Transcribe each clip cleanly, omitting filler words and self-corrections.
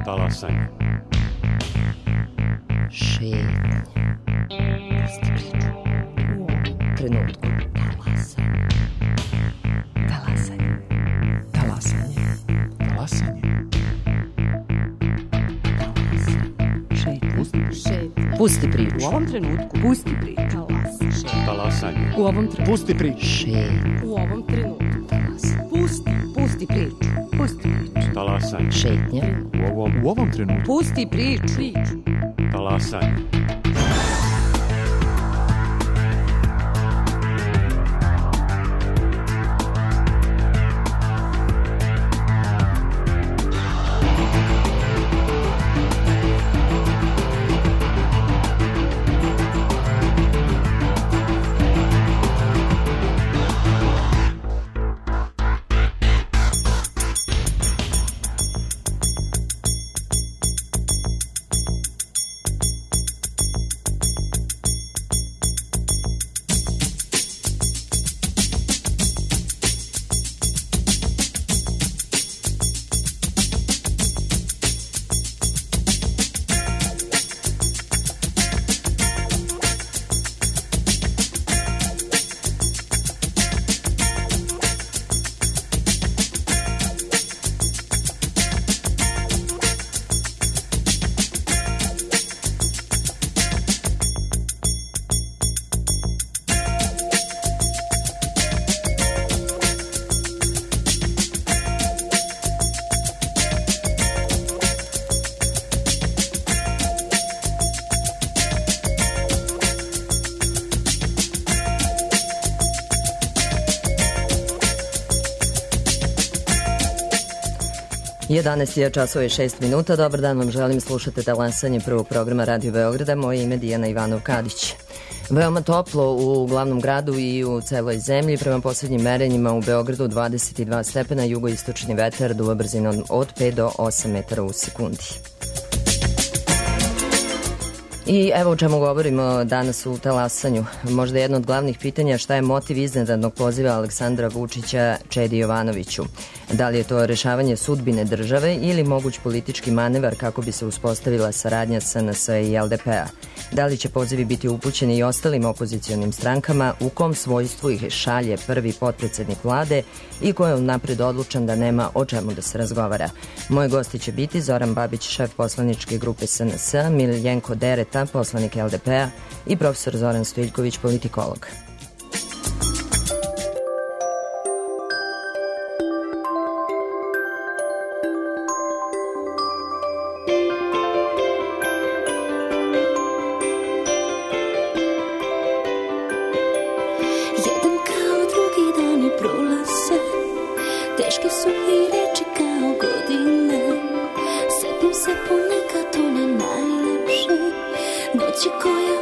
Talasanje. Šetnje. Pusti priču. U ovom trenutku. Talasanje. Talasanje. Talasanje. Pusti priču. U ovom trenutku. Pusti priču. Talasanje. U ovom trenutku. Pusti priču. Šetnje. U ovom trenutku. Pusti priču. Pusti priču. Talasanje. Šetnje. U ovom trenutku. Pusti priču. Talasanje. Je časova i 6 minuta. Dobar dan vam želim, slušate Talasanje prvog programa Radio Beograda. Moje ime je Dijana Ivanov-Kadić. Veoma toplo u glavnom gradu i u celoj zemlji. Prema poslednjim merenjima u Beogradu 22 stepena, jugoistočni vetar duva brzinom od 5 do 8 metara u sekundi. I evo o čemu govorimo danas u Talasanju. Možda jedno od glavnih pitanja, šta je motiv iznenadnog poziva Aleksandra Vučića Čedi Jovanoviću? Da li je to rešavanje sudbine države ili moguć politički manevar kako bi se uspostavila saradnja SNS i LDP-a? Da li će pozivi biti upućeni i ostalim opozicionim strankama, u kom svojstvu ih šalje prvi potpredsednik vlade i ko je unapred odlučan da nema o čemu da se razgovara? Moji gosti će biti Zoran Babić, šef poslaničke grupe SNS, Miljenko Dereta, poslanik LDP-a i profesor Zoran Stojiljković, politikolog.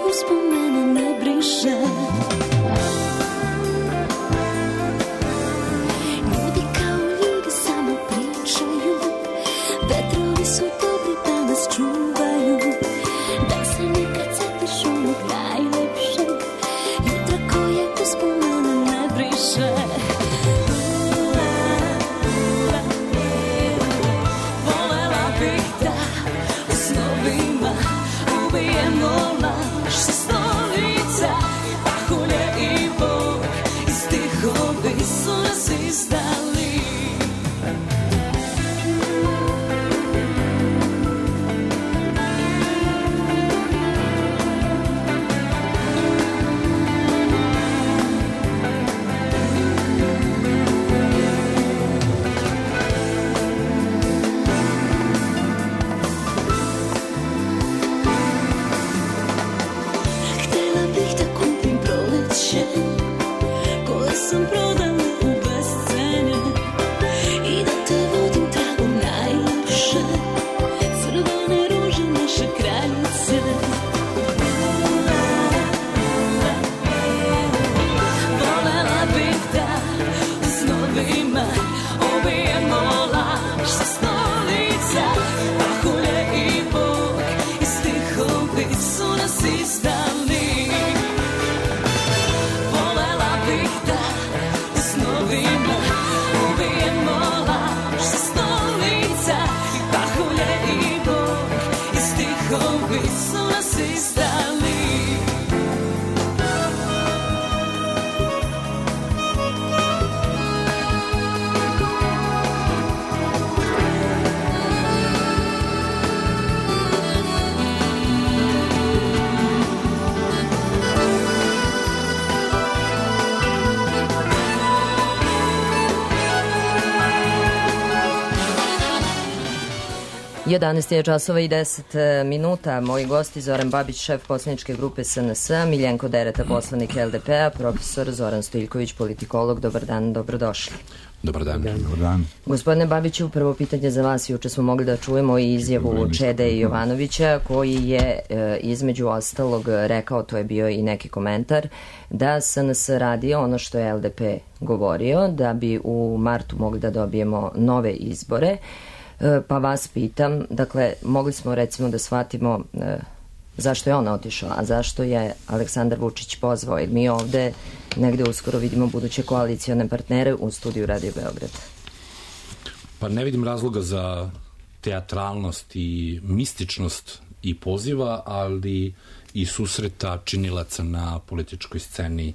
Uspomena ne briše. 11 je časova i 10 minuta. Moji gosti Zoran Babić, šef poslaničke grupe SNS, Miljenko Dereta, poslanik LDP-a, profesor Zoran Stojiljković, politikolog. Dobar dan, dobrodošli. Dobar dan. Dobar dan. Gospodine Babiću, prvo pitanje za vas. Juče smo mogli da čujemo i izjavu Čede Jovanovića, koji je između ostalog rekao, to je bio i neki komentar, da SNS radi ono što je LDP govorio, da bi u martu mogli da dobijemo nove izbore. Pa vas pitam, dakle, mogli smo recimo da shvatimo zašto je on otišao, a zašto je Aleksandar Vučić pozvao, jer mi ovde negde uskoro vidimo buduće koalicione partnere u studiju Radio Beograd. Pa ne vidim razloga za teatralnost i mističnost i poziva, ali i susreta činilaca na političkoj sceni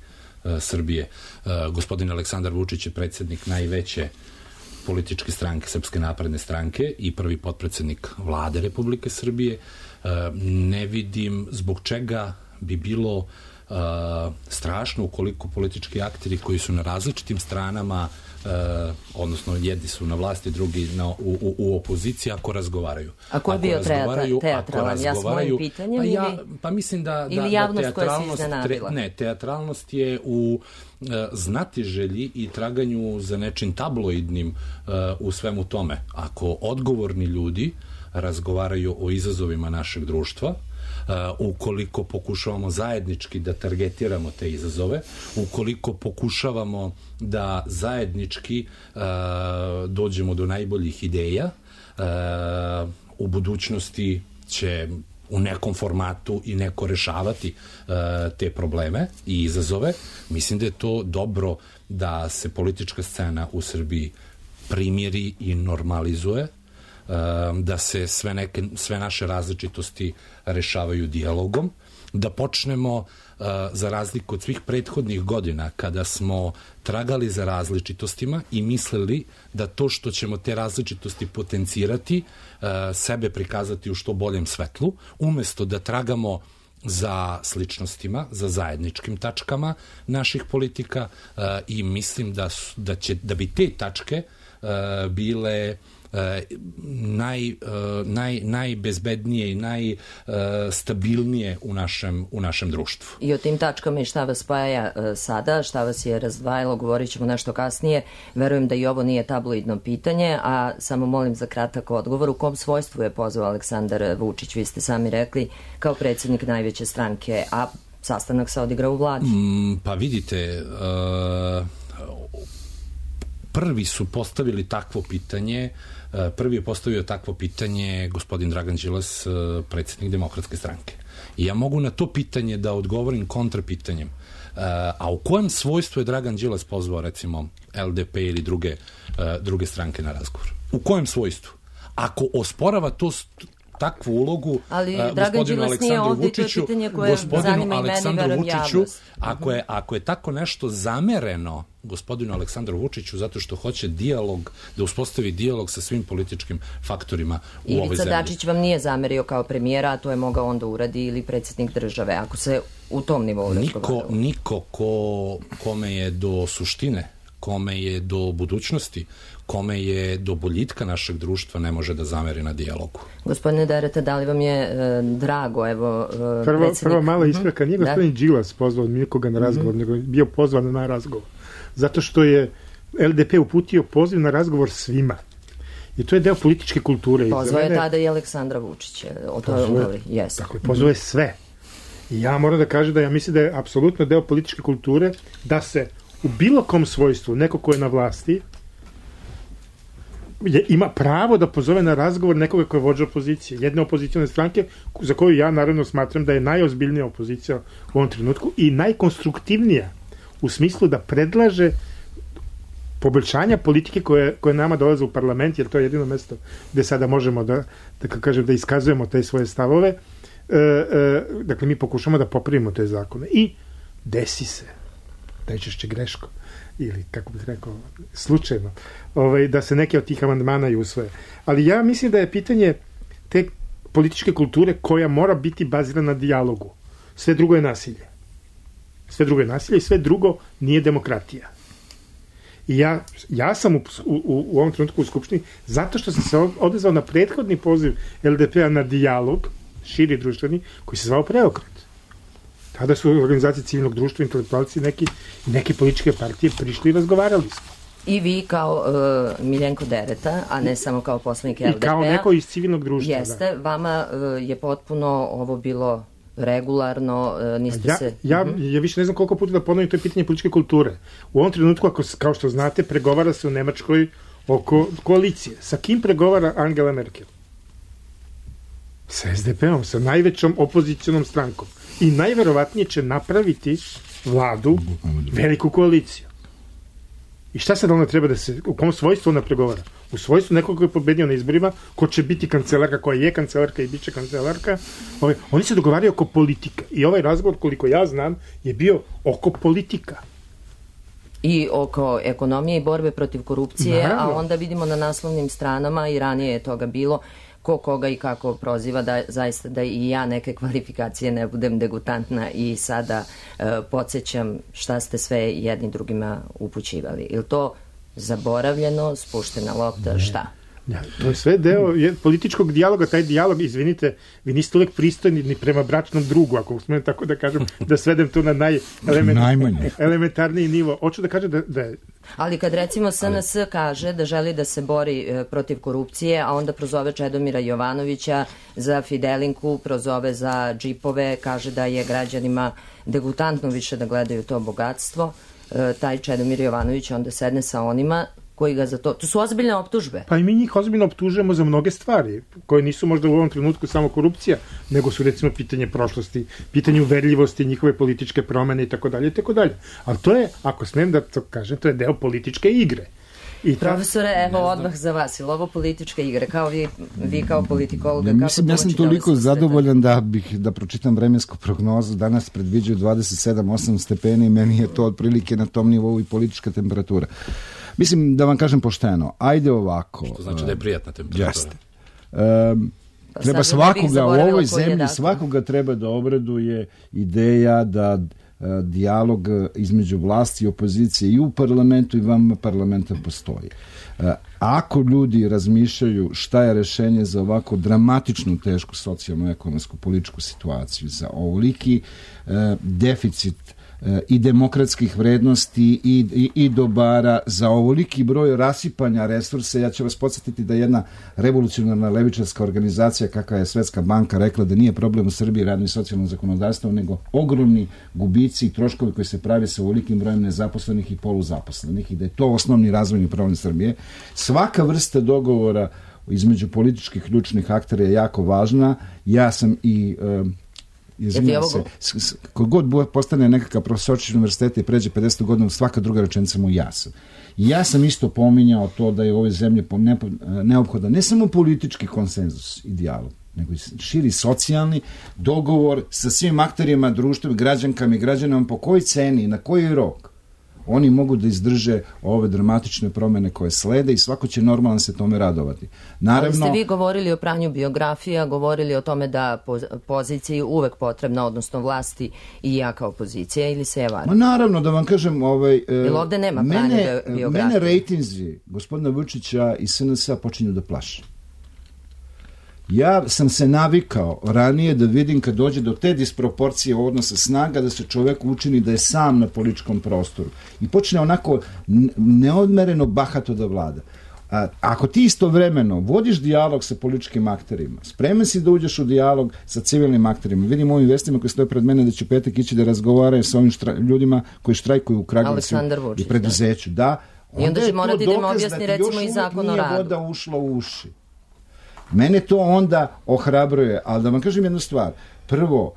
Srbije. Gospodin Aleksandar Vučić je predsjednik najveće političke stranke, Srpske napredne stranke, i prvi potpredsednik Vlade Republike Srbije. Ne vidim zbog čega bi bilo strašno ukoliko politički akteri koji su na različitim stranama, odnosno jedni su na vlasti, drugi u opoziciji, ako razgovaraju. A ko je bio teatralan? Ja s mojim pitanjem pa mislim da javnost koja se iznenadila? Ne, teatralnost je u znatiželji i traganju za nečim tabloidnim u svemu tome. Ako odgovorni ljudi razgovaraju o izazovima našeg društva, ukoliko pokušavamo zajednički da targetiramo te izazove, ukoliko pokušavamo da zajednički dođemo do najboljih ideja, u budućnosti će u nekom formatu i neko rešavati te probleme i izazove. Mislim da je to dobro da se politička scena u Srbiji primiri i normalizuje, da se sve naše različitosti rešavaju dijalogom, da počnemo, za razliku od svih prethodnih godina, kada smo tragali za različitostima i mislili da to što ćemo te različitosti potencirati, sebe prikazati u što boljem svetlu, umesto da tragamo za sličnostima, za zajedničkim tačkama naših politika, i mislim da bi te tačke bile najbezbednije i najstabilnije u našem društvu. I o tim tačkama i šta vas spaja sada, šta vas je razdvajalo, govorit ćemo nešto kasnije. Verujem da i ovo nije tabloidno pitanje, a samo molim za kratak odgovor. U kom svojstvu je pozvao Aleksandar Vučić? Vi ste sami rekli, kao predsjednik najveće stranke, a sastanak se odigrao u Vladi. Pa vidite, prvi su postavili takvo pitanje, prvi je postavio takvo pitanje gospodin Dragan Đilas, predsjednik Demokratske stranke. I ja mogu na to pitanje da odgovorim kontrapitanjem. A u kojem svojstvu je Dragan Đilas pozvao, recimo, LDP ili druge stranke na razgovor? U kojem svojstvu? Ako osporava to takvu ulogu gospodinu Aleksandru Vučiću, ako je tako nešto zamereno gospodinu Aleksandru Vučiću zato što hoće dijalog, da uspostavi dijalog sa svim političkim faktorima u ovoj zemlji. Ivica Dačić vam nije zamerio kao premijera, a to je mogao onda uradi ili predsjednik države, ako se u tom nivou razgovaralo. Niko kome je do suštine, kome je do budućnosti, kome je do boljitka našeg društva ne može da zameri na dijalogu. Gospodine Dereta, da li vam je drago, evo, predsjednik... Prvo mala ispreka, nije gospodin Đilas pozvao nikoga na razgovor, nego je bio pozvan na razgovor. Zato što je LDP uputio poziv na razgovor svima. I to je deo političke kulture. Pozvao je tada i Aleksandra Vučića. Tako je, pozvao je sve. I ja moram da kažem da ja mislim da je apsolutno deo političke kulture da se u bilo kom svojstvu neko ko je na vlasti ima pravo da pozove na razgovor nekoga ko je vođa opozicije, jedne opozicijone stranke za koju ja naravno smatram da je najozbiljnija opozicija u ovom trenutku i najkonstruktivnija u smislu da predlaže poboljšanja politike koje nama dolaze u parlament, jer to je jedino mesto gde sada možemo da iskazujemo te svoje stavove. Dakle, mi pokušamo da popravimo te zakone. I desi se, najčešće greško, ili, kako bih rekao, slučajno, da se neke od tih amandmana i usvoje. Ali ja mislim da je pitanje te političke kulture koja mora biti bazirana na dijalogu. Sve drugo je nasilje. Sve drugo je nasilje i sve drugo nije demokratija. I ja sam u ovom trenutku u Skupštini zato što sam se odezvao na prethodni poziv LDP-a na dijalog, širi društveni, koji se zvao Preokret. Tada su organizacije civilnog društva, intelektualci i neke političke partije prišli i razgovarali smo. I vi kao Miljenko Dereta, a ne samo kao poslanik LDP-a. I kao neko iz civilnog društva. Jeste, vama je potpuno ovo bilo regularno, niste se... Ja više ne znam koliko puta da ponovim, to je pitanje političke kulture. U ovom trenutku, kao što znate, pregovara se u Nemačkoj oko koalicije. Sa kim pregovara Angela Merkel? Sa SDP-om, sa najvećom opozicionom strankom. I najverovatnije će napraviti vladu, veliku koaliciju. I šta sad ona treba u kom svojstvu ona pregovara? U svojstvu nekog koji je pobedio na izborima, ko će biti kancelarka, koja je kancelarka i bit će kancelarka. Oni se dogovaraju oko politika. I ovaj razgovor, koliko ja znam, je bio oko politika. I oko ekonomije i borbe protiv korupcije, Naravno. a onda vidimo na naslovnim stranama, i ranije je toga bilo, ko koga i kako proziva, da zaista da i ja neke kvalifikacije ne budem degutantna i sada podsjećam šta ste sve jedni drugima upućivali. Je li to zaboravljeno, spuštena lopta, šta? Ja, to je sve deo političkog dijaloga, taj dijalog, izvinite, vi niste uvek pristojni ni prema bračnom drugu, ako smijem tako da kažem, da svedem to na najelementarniji nivo. Hoću da kažem da je... Ali kad recimo SNS kaže da želi da se bori protiv korupcije, a onda prozove Čedomira Jovanovića za Fidelinku, prozove za džipove, kaže da je građanima degutantno više da gledaju to bogatstvo, taj Čedomir Jovanović onda sedne sa onima koji ga za to... To su ozbiljne optužbe. Pa i mi njih ozbiljno optužujemo za mnoge stvari, koje nisu možda u ovom trenutku samo korupcija, nego su recimo pitanje prošlosti, pitanje uverljivosti, njihove političke promene i tako dalje, i tako dalje. Ali to je, ako smijem da to kažem, to je deo političke igre. Profesore, evo odmah za vas. Ili ovo političke igre? Kao vi kao politikologa, ja sam toliko zadovoljan da pročitam vremensku prognozu. Danas predviđaju 27-8 stepeni i meni je to otprilike na tom nivou i politička temperatura. Mislim, da vam kažem pošteno, ajde ovako. Što znači da je prijatna temperatura. Jeste. Treba svakoga u ovoj zemlji, svakoga treba da obraduje ideja da dijalog između vlasti i opozicije i u parlamentu i van parlamenta postoji. Ako ljudi razmišljaju šta je rešenje za ovako dramatičnu, tešku socijalnu, ekonomsku, političku situaciju, za ovoliki deficit i demokratskih vrednosti i dobara, za ovoliki broj rasipanja resursa, ja ću vas podsjetiti da jedna revolucionarna levičarska organizacija kakva je Svetska banka rekla da nije problem u Srbiji radno i socijalno zakonodavstvo, nego ogromni gubici i troškovi koji se pravi sa ovolikim brojem nezaposlenih i poluzaposlenih i da je to osnovni razvojni problem Srbije. Svaka vrsta dogovora između političkih ključnih aktera je jako važna. Ja sam i izvinjam se, kogod postane nekakav profesor univerziteta i pređe 50 godina, svaka druga rečenica mu ja sam. Ja sam isto pominjao to da je u ovoj zemlji neophodan ne samo politički konsenzus i dijalog, nego i širi socijalni dogovor sa svim akterima društva, građankama i građanima, po kojoj ceni i na koji rok oni mogu da izdrže ove dramatične promene koje slede i svako će normalno se tome radovati. Naravno, ali ste vi govorili o pranju biografija, govorili o tome da poziciji uvek potrebna, odnosno vlasti i jaka opozicija, ili se je varam? Naravno, da vam kažem, jer ovde nema pranja biografija. Mene rejtinzi gospodina Vučića i SNS-a počinju da plaše. Ja sam se navikao ranije da vidim kad dođe do te disproporcije odnosa snaga da se čovek učini da je sam na političkom prostoru i počne onako neodmereno bahato da vlada. Ako ti istovremeno vodiš dijalog sa političkim akterima, spreman si da uđeš u dijalog sa civilnim akterima, vidim ovim vestima koji stoje pred mene da će petak ići da razgovaraju sa ovim ljudima koji štrajkuju u Kragujevcu i preduzeću. Da, i onda će morati da im objasni recimo i zakon o radu. Nije voda ušla u uši. Mene to onda ohrabruje, ali da vam kažem jednu stvar. Prvo,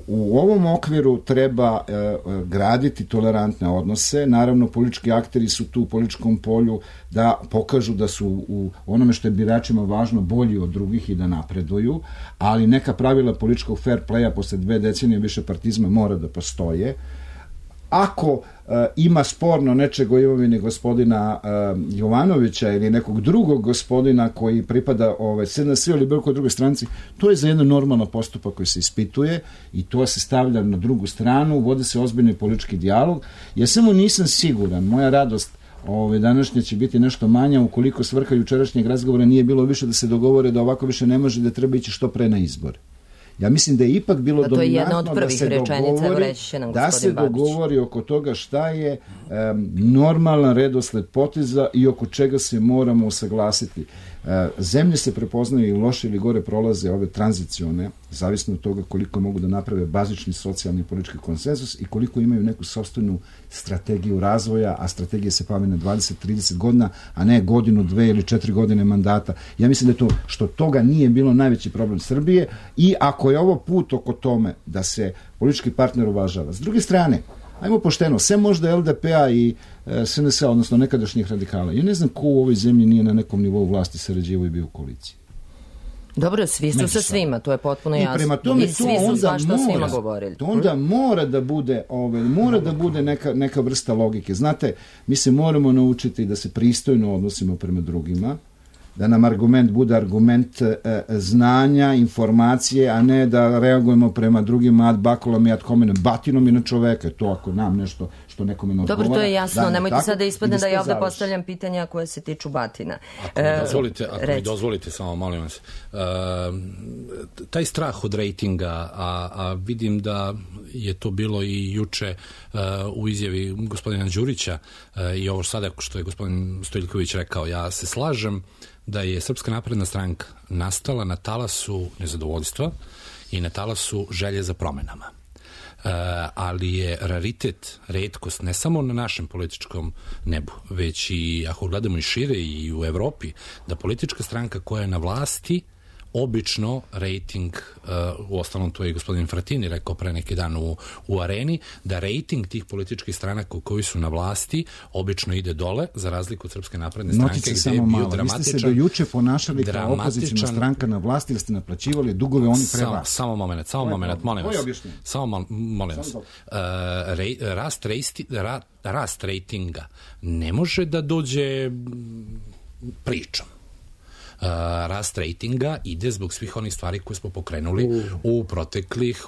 u ovom okviru treba graditi tolerantne odnose. Naravno, politički akteri su tu u političkom polju da pokažu da su u onome što je biračima važno bolji od drugih i da napreduju, ali neka pravila političkog fair playa posle 2 decenije više partizma mora da postoje. ako ima sporno nečeg o imovini gospodina Jovanovića ili nekog drugog gospodina koji pripada SNS ili bilo kojoj drugoj stranci, to je za jedan normalan postupak koji se ispituje i to se stavlja na drugu stranu, vodi se ozbiljni politički dijalog. Ja samo nisam siguran, moja radost današnje će biti nešto manja ukoliko svrha jučerašnjeg razgovora nije bilo više da se dogovore da ovako više ne može, da treba ići što pre na izbore. Ja mislim da je ipak bilo dominantno da se dogovori oko toga šta je normalan redosled poteza i oko čega se moramo usaglasiti. Zemlje se prepoznaju i loše ili gore prolaze ove tranzicione, zavisno od toga koliko mogu da naprave bazični socijalni i politički konsenzus i koliko imaju neku sopstvenu strategiju razvoja, a strategija se pamti na 20-30 godina, a ne godinu, 2 ili 4 godine mandata. Ja mislim da je to, što toga nije bilo najveći problem Srbije i ako je ovo put oko tome da se politički partner uvažava. S druge strane, ajmo pošteno, sve možda LDP-a i SNS-a, odnosno nekadašnjih radikala. Ja ne znam ko u ovoj zemlji nije na nekom nivou vlasti sarađivao i bio u koaliciji. Dobro, svi su sa svima, to je potpuno jasno. I prema tome, svi su svašta svima govorili. To onda mora da bude neka vrsta logike. Znate, mi se moramo naučiti da se pristojno odnosimo prema drugima, da nam argument bude argument znanja, informacije, a ne da reagujemo prema drugima ad bakulom i ad hominem, batinom i na čoveka. To ako nam nešto što nekome ne odgovara. Dobro, to je jasno. Nemojte sad da ispadne da ja ovde postavljam pitanja koje se tiču batina. Ako mi dozvolite, samo molim vas. Taj strah od rejtinga, a vidim da je to bilo i juče u izjavi gospodina Đurića i ovo sada što je gospodin Stojiljković rekao, ja se slažem da je Srpska napredna stranka nastala na talasu nezadovoljstva i na talasu želje za promenama. Ali je raritet, retkost, ne samo na našem političkom nebu, već i ako gledamo i šire i u Evropi, da politička stranka koja je na vlasti obično rejting, u ostalom to je gospodin Fratini rekao pre neki dan u Areni, da rejting tih političkih stranaka koji su na vlasti obično ide dole, za razliku od Srpske napredne stranke gde je bio dramatičan. Vi ste se do juče ponašali kao opozicijna stranka na vlasti, ili ste naplaćivali dugove oni pre vas? Samo moment, molim vas. Samo molim vas. Rast rejtinga ne može da dođe pričom. Rast rejtinga ide zbog svih onih stvari koje smo pokrenuli u proteklih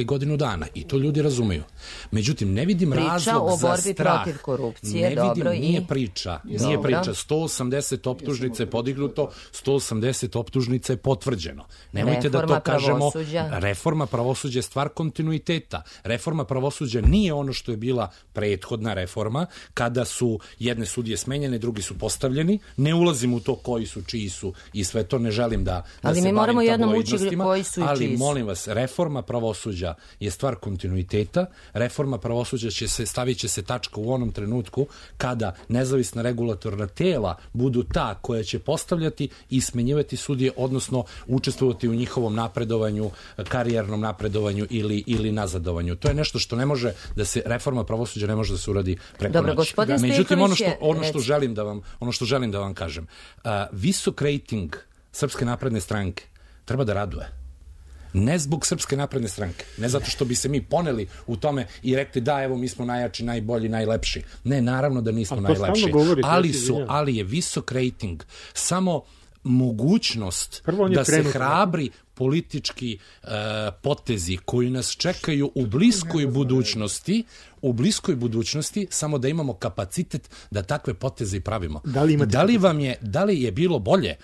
godinu dana i to ljudi razumeju. Međutim, ne vidim razlog za strah. Priča o borbi protiv korupcije, dobro i... Nije priča. 180 optužnica je podignuto, 180 optužnica je potvrđeno. Nemojte da to kažemo. Reforma pravosuđa je stvar kontinuiteta. Reforma pravosuđa nije ono što je bila prethodna reforma, kada su jedne sudije smenjene, drugi su postavljeni. Ne ulazim u to koji su, čiji su i sve to, ne želim da ali se mi moramo jednom učiti koji su i čiji su. Ali molim vas, reforma pravosuđa je stvar kontinuiteta. Reforma pravosuđa stavit će se tačka u onom trenutku kada nezavisna regulatorna tela budu ta koja će postavljati i smenjivati sudije, odnosno učestvovati u njihovom napredovanju, karijernom napredovanju ili nazadovanju. To je nešto što ne može da se, reforma pravosuđa ne može da se uradi preko noći. Međutim, ono što želim da vam kažem, visok rejting Srpske napredne stranke treba da raduje. Ne zbog Srpske napredne stranke, ne zato što bi se mi poneli u tome i rekli da, evo, mi smo najjači, najbolji, najlepši. Ne, naravno da nismo najlepši, ali je visok rejting samo mogućnost da se hrabri politički potezi koji nas čekaju u bliskoj budućnosti, samo da imamo kapacitet da takve poteze i pravimo. Da li je bilo bolje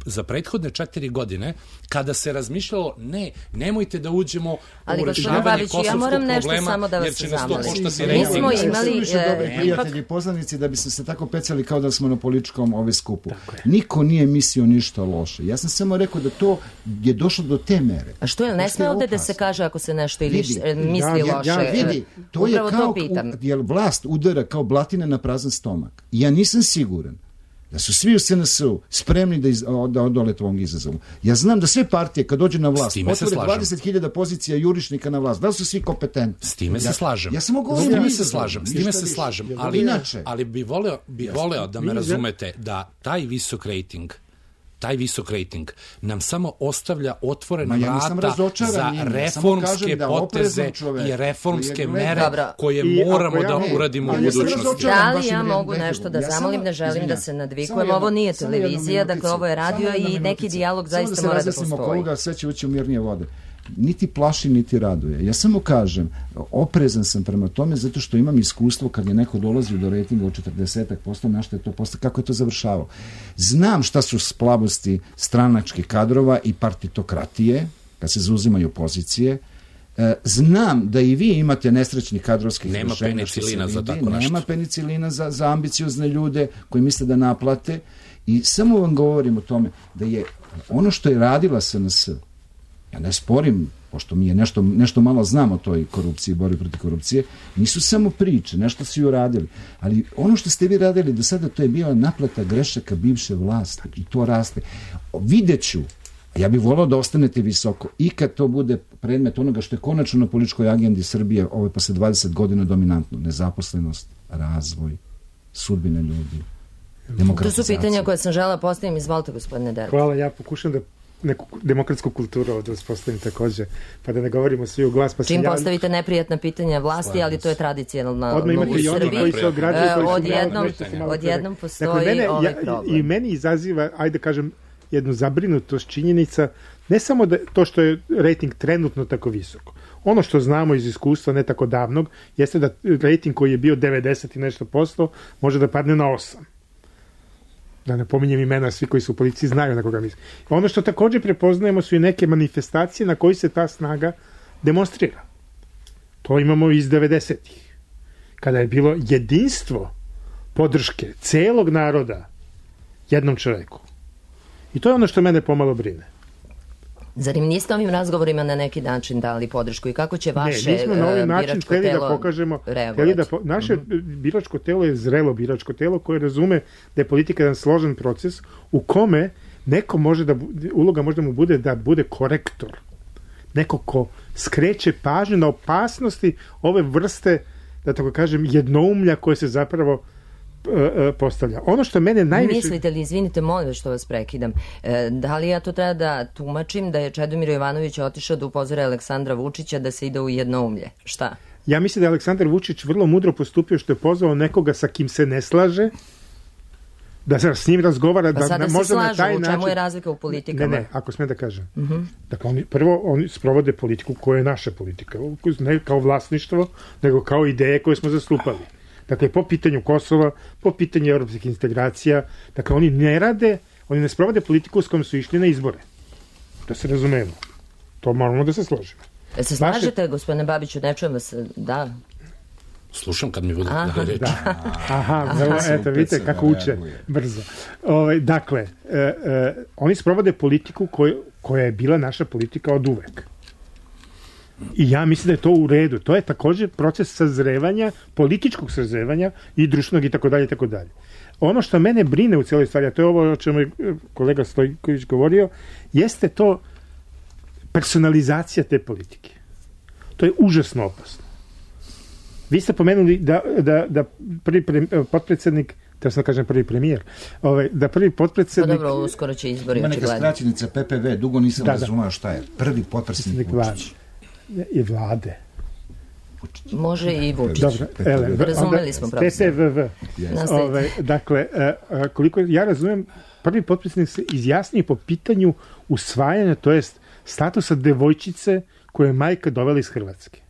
za prethodne 4 godine kada se razmišljalo nemojte da uđemo u rešavanje kosovskog problema jer će nas to koštati rejting. Mi smo imali prijatelji poznanici da bi se tako pecali kao da smo na političkom skupu. Niko nije mislio ništa loše. Ja sam samo rekao da to je došlo do te mere. A što je, ne sme ovde da se kaže ako se nešto ili misli loše? Vidi, to je kao jer vlast udara kao blatina na prazan stomak. Ja nisam siguran da su svi u SNS-u spremni da odolete ovom izazovu. Ja znam da sve partije kad dođe na vlast otvore 20.000 pozicija jurišnika na vlast. Da li su svi kompetentni? S time se slažem. Ja samo govorim s time se slažem. Ali bi voleo da me razumete da taj visok rejting taj visok rejting nam samo ostavlja otvorena vrata za reformske poteze i reformske mere koje moramo da uradimo u budućnosti. Da li ja mogu nešto da zamolim, ne želim da se nadvikujem, ovo nije televizija, dakle ovo je radio i neki dijalog zaista mora da postoji. Sve će ući u mirnije vode. Niti plaši, niti raduje. Ja samo kažem, oprezan sam prema tome zato što imam iskustvo kad je neko dolazio do rejtinga od 40%, na što je to postao, kako je to završavao. Znam šta su slabosti stranačkih kadrova i partitokratije, kad se zauzimaju pozicije. Znam da i vi imate nesrećnih kadrovskih rešenja. Nema penicilina za tako nešto. Nema penicilina za ambiciozne ljude koji misle da naplate. I samo vam govorim o tome da je ono što je radila SNS, ja ne sporim, pošto mi je nešto malo znam o toj korupciji, borbi protiv korupcije, nisu samo priče, nešto su i uradili. Ali ono što ste vi radili do sada, to je bila naplata grešaka bivše vlasti i to raste. Videću, ja bih volao da ostanete visoko i kad to bude predmet onoga što je konačno na političkoj agendi Srbije posle 20 godina dominantno. Nezaposlenost, razvoj, sudbine ljudi, demokratizacija. To su pitanja koje sam želela postaviti. Izvolite, gospodine Dervić. Hvala, ja pokušam da neku demokratsku kulturu ovdje uspostavim također, pa da ne govorimo svi u glas. Čim postavite neprijatna pitanja vlasti, ali to je tradicionalno u Srbiji. Odjednom postoji ovaj problem. I meni izaziva, ajde kažem, jednu zabrinutost činjenica, ne samo da to što je rejting trenutno tako visoko. Ono što znamo iz iskustva ne tako davnog, jeste da rejting koji je bio 90 i nešto posto može da padne na 8. Da ne pominjem imena, svi koji su u policiji znaju na koga mislim. Ono što također prepoznajemo su i neke manifestacije na koji se ta snaga demonstrira. To imamo iz 90-ih. Kada je bilo jedinstvo podrške celog naroda jednom čoveku. I to je ono što mene pomalo brine. Zar im niste ovim razgovorima na neki način dali podršku i kako će vaše mi smo na ovaj način hteli da pokažemo, naše biračko telo je zrelo biračko telo koje razume da je politika jedan složen proces u kome neko može da, uloga možda mu bude da bude korektor. Neko ko skreće pažnju na opasnosti ove vrste, da tako kažem, jednoumlja koje se zapravo postavlja. Ono što mene najviše... Mislite li, izvinite, molim što vas prekidam, da li ja to treba da tumačim da je Čedomir Jovanović otišao da upozore Aleksandra Vučića da se ide u jednoumlje? Šta? Ja mislim da je Aleksandar Vučić vrlo mudro postupio što je pozvao nekoga sa kim se ne slaže, da se s njim razgovara, pa sada se slažu, u čemu je razlika u politikama? Ne, ako smem da kažem. Dakle, prvo oni sprovode politiku koja je naša politika, ne kao vlasništvo, nego kao ideje koje smo zastupali. Dakle, po pitanju Kosova, po pitanju evropskih integracija, dakle, oni ne sprovode politiku s kojom su išli na izbore. Da se razumemo. To moramo da se složimo. Se slažete, gospodine Babiću, ne čujem vas, da? Slušam kad mi budete da reći. Eto, vidite kako uče brzo. Dakle, oni sprovode politiku koja je bila naša politika od uvek. I ja mislim da je to u redu. To je također proces sazrevanja, političkog sazrevanja i društvenog i tako dalje, tako dalje. Ono što mene brine u cijeloj stvari, a to je ovo o čemu je kolega Stojković govorio, jeste to personalizacija te politike. To je užasno opasno. Vi ste pomenuli da prvi potpredsjednik, da sam kažem prvi premijer, da prvi potpredsjednik... Pa dobro, uskoro će izbori očigledno. Ima neka skraćenica PPV, dugo nisam razumao šta je. Prvi potpredsjednik Vučić. I vlade. Može i Vučić. Dobro, razumeli smo profesor. PPVV. Dakle, koliko ja razumem, prvi potpredsjednik se izjasnije po pitanju usvajanja, to jest statusa devojčice koje je majka dovela iz Hrvatske.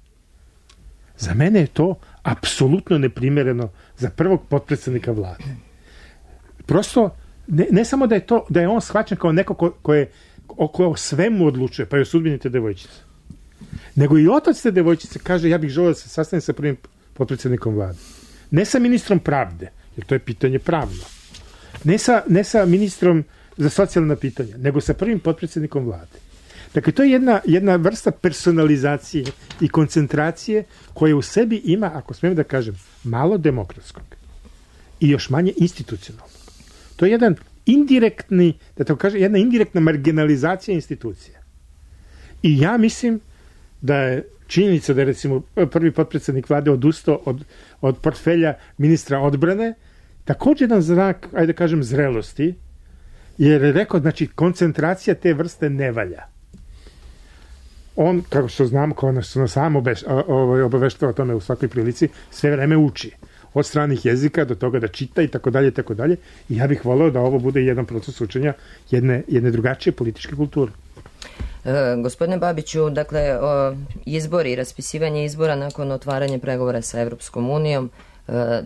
Za mene je to apsolutno neprimereno za prvog potpredsjednika vlade. Prosto, ne samo da je on shvaćen kao neko ko o svemu odlučuje, pa je o sudbini te devojčice. Nego i otac te devojčice kaže ja bih želeo da se sastanem sa prvim potpredsjednikom vlade. Ne sa ministrom pravde, jer to je pitanje pravno. Ne sa ministrom za socijalna pitanja, nego sa prvim potpredsjednikom vlade. Dakle, to je jedna vrsta personalizacije i koncentracije koja u sebi ima, ako smijem da kažem, malo demokratskog i još manje institucionalnog. To je jedan indirektni, da tako kažem, jedna indirektna marginalizacija institucija. I ja mislim da je činjenica da je recimo prvi potpredsjednik vlade odustao od portfelja ministra odbrane također jedan znak, ajde da kažem, zrelosti, Jer je rekao, znači, koncentracija te vrste ne valja. On, kako što znamo, kao nas sam obaveštava o tome u svakoj prilici, sve vreme uči. Od stranih jezika do toga da čita i tako dalje, i tako dalje. I ja bih voleo da ovo bude jedan proces učenja jedne drugačije političke kulture. Gospodine Babiću, dakle, izbori, raspisivanje izbora nakon otvaranja pregovora sa Evropskom unijom,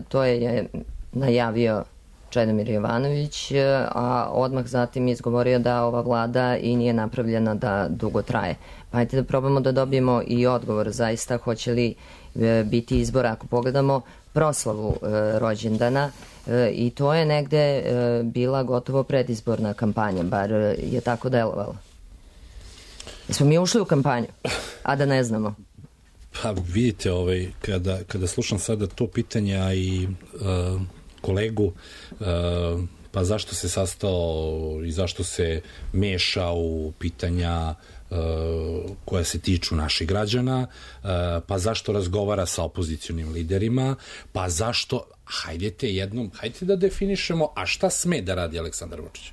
to je najavio Čedomir Jovanović, a odmah zatim izgovorio da ova vlada i nije napravljena da dugo traje. Pa ajte da probamo da dobijemo i odgovor zaista hoće li biti izbora, ako pogledamo proslavu rođendana, i to je negde bila gotovo predizborna kampanja, bar je tako delovalo. Smo mi ušli u kampanju, a da ne znamo? Pa vidite, kada slušam sada to pitanje, a i kolegu, pa zašto se sastao i zašto se meša u pitanja koja se tiču naših građana, pa zašto razgovara sa opozicionim liderima, pa zašto, hajde da definišemo, a šta sme da radi Aleksandar Vučić?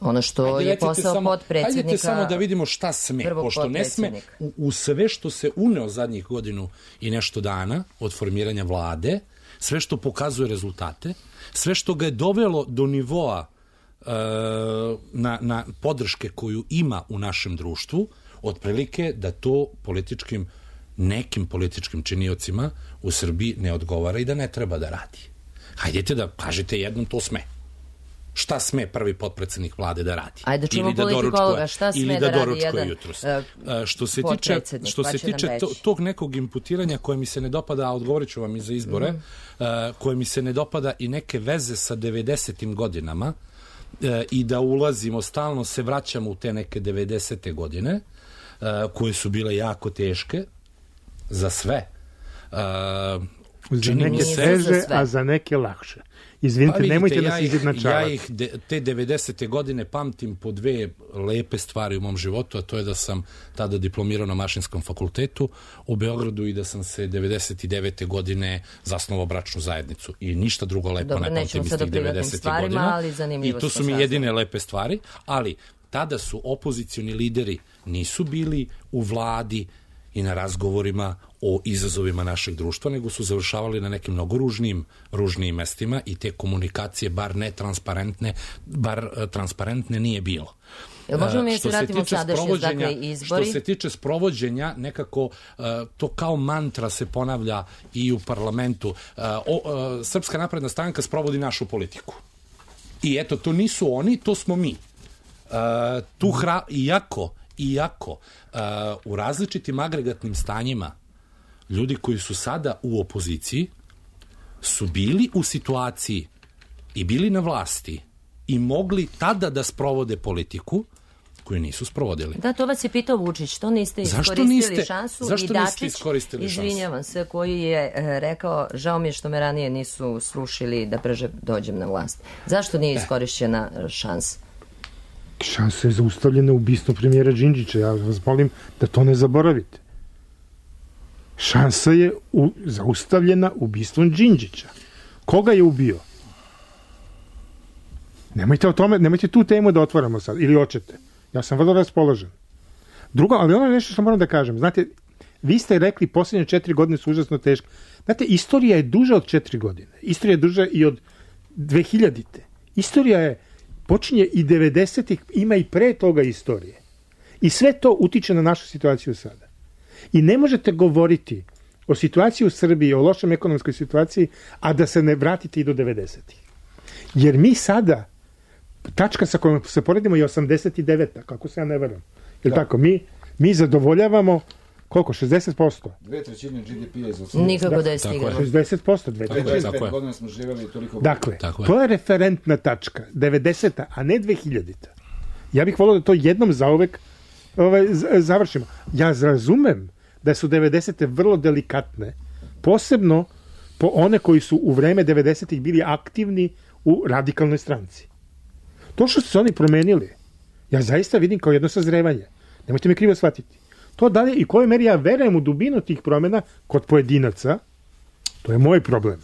Ono što je posao potpredsjednika. Hajdete samo da vidimo šta sme, pošto ne sme u sve što se uneo zadnjih godinu i nešto dana od formiranja vlade, sve što pokazuje rezultate, sve što ga je dovelo do nivoa na podrške koju ima u našem društvu, otprilike da to nekim političkim činiocima u Srbiji ne odgovara i da ne treba da radi. Hajdete da kažete jednom to sme. Šta sme prvi potpredsednik vlade da radi? Ajde čujemo politikologa, šta sme da radi jedan potpredsednik? Što se tiče tog nekog imputiranja koje mi se ne dopada, a odgovorit ću vam i za izbore, koje mi se ne dopada i neke veze sa 90. godinama i da ulazimo, stalno se vraćamo u te neke 90. godine, koje su bile jako teške za sve. Za neke teže, a za neke lakše. Izvinite, nemojte nas izjednačavati. Ja te 90. godine pamtim po dve lepe stvari u mom životu, a to je da sam tada diplomirao na Mašinskom fakultetu u Beogradu i da sam se 99. godine zasnovao bračnu zajednicu. I ništa drugo lepo ne pamtim iz tih 90. godina. I to su mi jedine lepe stvari, ali tada su opozicioni lideri nisu bili u vladi i na razgovorima o izazovima našeg društva, nego su završavali na nekim mnogo ružnijim mestima i te komunikacije, bar transparentne nije bilo. Možemo mi se vratimo sadašnje, dakle, izbori? Što se tiče sprovođenja, nekako to kao mantra se ponavlja i u parlamentu. Srpska napredna stranka sprovodi našu politiku. I eto, to nisu oni, to smo mi. Iako u različitim agregatnim stanjima ljudi koji su sada u opoziciji su bili u situaciji i bili na vlasti i mogli tada da sprovode politiku koju nisu sprovodili. Da, to vas je pitao Vučić, to niste iskoristili šansu. Zašto niste iskoristili šansu? Izvinjavam se, koji je rekao, žao mi je što me ranije nisu srušili da brže dođem na vlast. Zašto nije iskorišćena šansa? Šansa je zaustavljena ubistvom premijera Đinđića. Ja vas molim da to ne zaboravite. Šansa je zaustavljena ubistvom Đinđića. Koga je ubio? Nemojte o tome, nemojte tu temu da otvaramo sad, ili hoćete. Ja sam vrlo raspoložen. Drugo, ali ono je nešto što moram da kažem. Znate, vi ste rekli posljednje 4 godine su užasno teške. Znate, istorija je duža od 4 godine. Istorija je duža i od 2000-te. Istorija je počinje i 90-ih, ima i pre toga istorije. I sve to utiče na našu situaciju sada. I ne možete govoriti o situaciji u Srbiji, o lošem ekonomskoj situaciji, a da se ne vratite i do 90-ih. Jer mi sada, tačka sa kojom se poredimo je 89-a, kako se ja ne verujem. Jer tako, mi zadovoljavamo koliko? 60%? 2/3 GDP-a iz 80. Nikako da je stigao. 60%, 2/3. Godina smo živjeli toliko... Dakle, to je referentna tačka, 90-a, a ne 2000-a. Ja bih volio da to jednom zauvek završimo. Ja razumem da su 90-te vrlo delikatne, posebno po one koji su u vreme 90-ih bili aktivni u radikalnoj stranci. To što su se oni promenili, ja zaista vidim kao jedno sazrevanje. Nemojte me krivo shvatiti. To dalje i kojoj meri ja verujem u dubinu tih promjena kod pojedinaca, to je moj problem.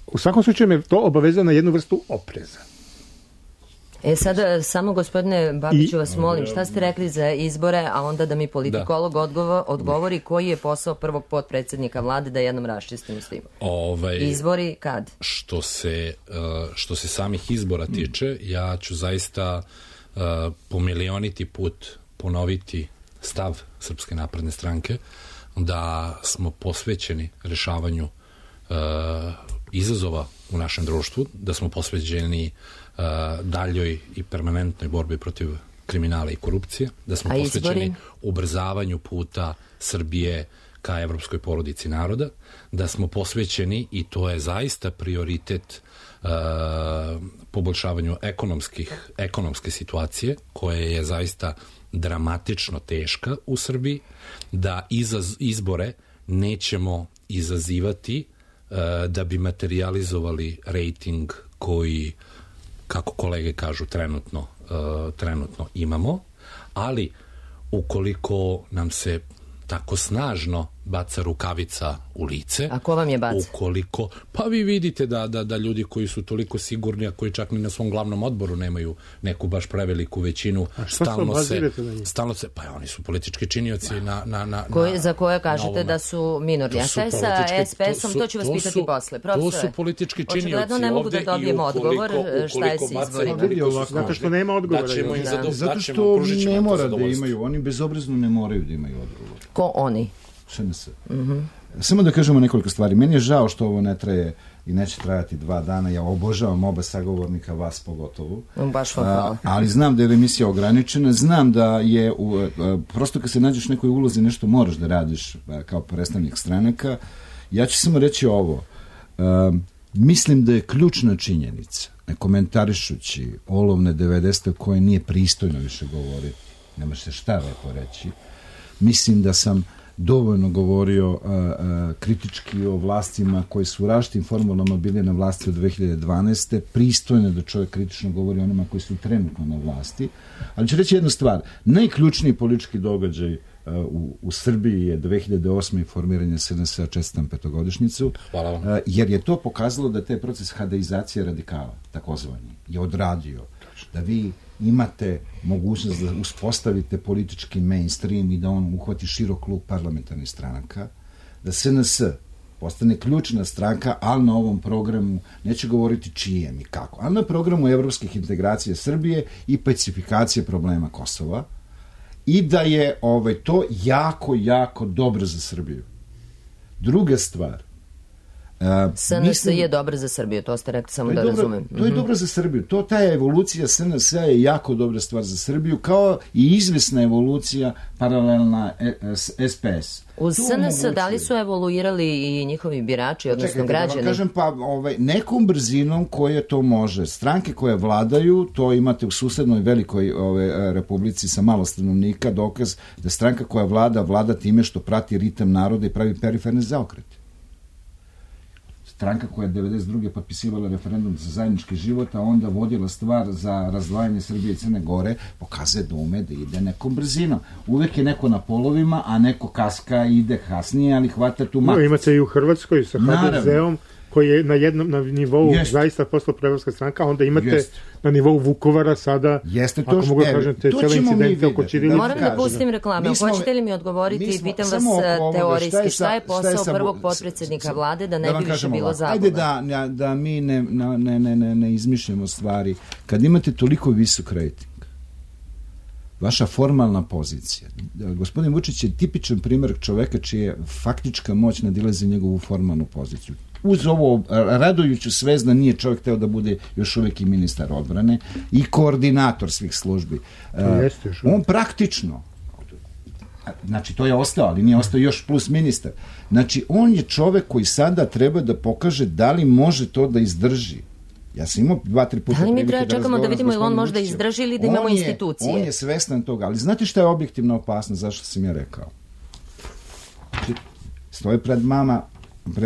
U svakom slučaju me to obavezuje na jednu vrstu opreza. Sada samo gospodine Babiću vas molim, šta ste rekli za izbore, a onda da mi politikolog odgovori koji je posao prvog potpredsjednika vlade, da jednom raščistimo s tim. Izbori kad? Što se samih izbora tiče, ja ću zaista po milioniti put ponoviti stav Srpske napredne stranke da smo posvećeni rešavanju izazova u našem društvu, da smo posvećeni daljoj i permanentnoj borbi protiv kriminala i korupcije, da smo posvećeni ubrzavanju puta Srbije ka evropskoj porodici naroda, da smo posvećeni, i to je zaista prioritet, poboljšavanju ekonomske situacije, koja je zaista dramatično teška u Srbiji, da izbore nećemo izazivati da bi materializovali rejting koji, kako kolege kažu, trenutno imamo, ali ukoliko nam se tako snažno baca rukavica u lice. A ko vam je baca? Pa vi vidite da ljudi koji su toliko sigurni, a koji čak ni na svom glavnom odboru nemaju neku baš preveliku većinu, stalno se, pa oni su politički činioci za koje kažete da su minorni. A šta je sa SPS-om, to ću vas pitati posle. To su politički činioci. Očigledno ne mogu da dobijem odgovor šta je sa izborima. Zato što nema odgovora. Zato što ne mora da imaju, oni bezobrazno ne moraju da imaju odgovor. Ko oni? SNS. Samo da kažemo nekoliko stvari. Meni je žao što ovo ne traje i neće trajati 2 dana. Ja obožavam oba sagovornika, vas pogotovo. Baš vam hvala. Ali znam da je emisija ograničena. Znam da je, prosto kad se nađeš u nekoj ulozi, nešto moraš da radiš kao predstavnik stranaka. Ja ću samo reći ovo. Mislim da je ključna činjenica, ne komentarišući olovne 90. koje nije pristojno više govoriti, nema se šta lepo reći. Mislim da sam dovoljno govorio kritički o vlastima koji su u različitim formulama bili na vlasti od 2012. Pristojno da čovjek kritično govori onima koji su trenutno na vlasti. Ali ću reći jednu stvar. Najključniji politički događaj u Srbiji je 2008. formiranje SNS-a, čestitam petogodišnjicu, jer je to pokazalo da taj proces hadeizacije radikala, takozvani, je odradio. Da vi imate mogućnost da uspostavite politički mainstream i da on uhvati širok klub parlamentarnih stranaka, da SNS postane ključna stranka, ali na ovom programu, neću govoriti čijem i kako, ali na programu evropskih integracija Srbije i pacifikacije problema Kosova, i da je to jako, jako dobro za Srbiju. Druga stvar, SNS je dobra za Srbiju, to ste rekli, samo da razumem. To je dobro za Srbiju. Ta evolucija SNS-a je jako dobra stvar za Srbiju, kao i izvesna evolucija paralelna SPS. Uz SNS da li su evoluirali i njihovi birači, odnosno građani? Da kažem, nekom brzinom koje to može. Stranke koje vladaju, to imate u susednoj velikoj republici sa malo stanovnika, dokaz da stranka koja vlada time što prati ritam naroda i pravi periferne zaokrete. Stranka koja je 92. potpisivala referendum za zajednički život, a onda vodila stvar za razdvajanje Srbije i Crne Gore, pokazuje da ume da ide nekom brzinom. Uvek je neko na polovima, a neko kaska ide kasnije, ali hvata tu mak. Imate i u Hrvatskoj sa HDZ-om, koji je na nivou zaista postala prevrska stranka, a onda imate na nivou Vukovara sada, ako mogu da kažete, cijele incidente oko Ćirilice. Moram da pustim reklame. Hoćete li mi odgovoriti, pitam vas teorijski, šta je posao prvog potpredsjednika vlade da ne bi više bilo zabuna? Ajde da mi ne izmišljamo stvari. Kad imate toliko visok rejting, vaša formalna pozicija. Gospodin Vučić je tipičan primjer čoveka čija faktička moć nadilazi njegovu formalnu poziciju. Uz ovo radujuću svest da nije čovjek teo da bude još uvijek i ministar odbrane i koordinator svih službi. On praktično, znači to je ostao, ali nije ostao još plus ministar. Znači on je čovjek koji sada treba da pokaže da li može to da izdrži. Ja sam imao 2-3 puta da li mi treba čekamo da vidimo ili on može da izdrži ili da imamo institucije? On je svestan toga, ali znate šta je objektivna opasnost, zašto sam ja rekao? Stoje pred vama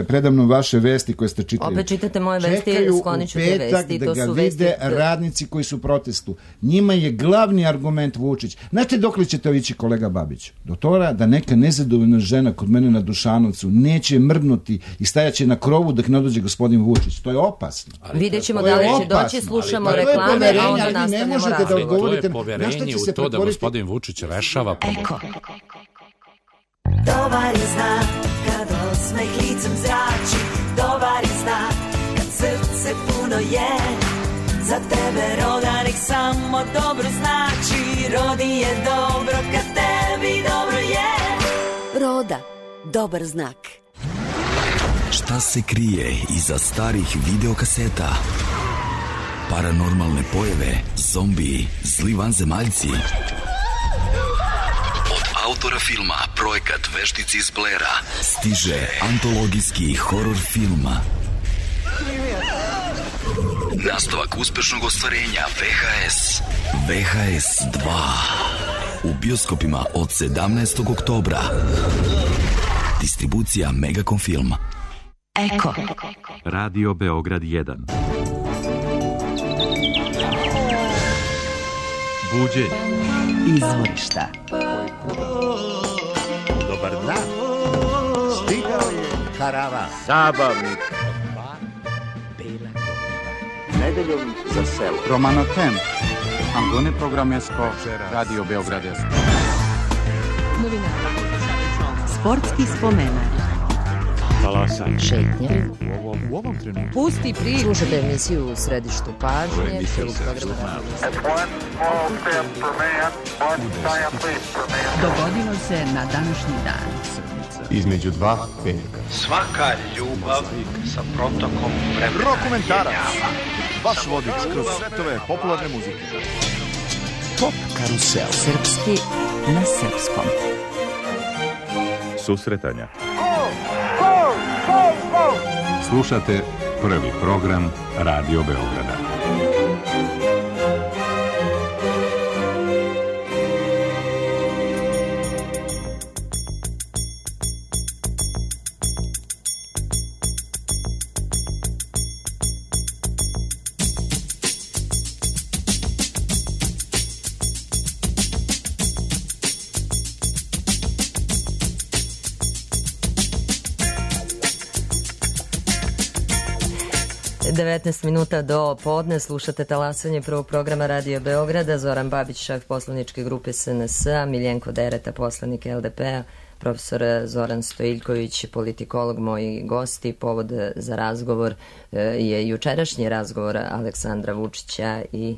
predamno vaše vesti koje ste čitali. Opet čitate moje vesti, sklonit ću te vesti. Čekaju u petak da ga vide radnici koji su u protestu. Njima je glavni argument Vučić. Znate dokle ćete ići, kolega Babić? Do toga da neka nezadovoljna žena kod mene na Dušanovcu neće mrdnuti i stajaće na krovu dok ne dođe gospodin Vučić. To je opasno. Vidjet ćemo da li će doći, slušamo reklame, a onda nastavljamo razgovor. To je poverenje u to da gospodin Vučić rešava problem. Dobar je znak kad osmeh licem zrači, dobar je znak kad srce puno je. Za tebe roda nek samo dobro znači, rodi je dobro kad tebi dobro je. Roda, dobar znak. Šta se krije iza starih videokaseta? Paranormalne pojave, zombiji, zli vanzemaljci. Autora filma Projekat Veštici iz Blera stiže antologijski horor film. Nastavak uspešnog ostvarenja VHS. VHS 2 u bioskopima od 17. oktobra. Distribucija Megacom Film. Eko. Radio Beograd 1. Buđenje. Izvorišta. Dobar dan. Stigao je karavan. Zabavnik. Nedeljom za selo. Romano Tem. Angone Programesko. Radio Beograd. Novina. Sportski spomenak. Talasanje. Šetnje. U ovom trenutku. Pusti priču. Slušate emisiju u središtu pažnje. Dogodilo se na današnji dan. Između dva petka. Svaka ljubav sa protokom vremena. Rokomentarac. Vaš vodič kroz svetove popularne muzike. Pop karusel. Srpski na srpskom. Susretanja. Slušate prvi program Radio Beograda. Devetnaest minuta do podne, slušate talasanje prvog programa Radio Beograda. Zoran Babić, šef poslaničke grupe SNS-a, Miljenko Dereta, poslanik LDP-a, profesor Zoran Stojiljković, politikolog, moji gosti. Povod za razgovor je jučerašnji razgovor Aleksandra Vučića i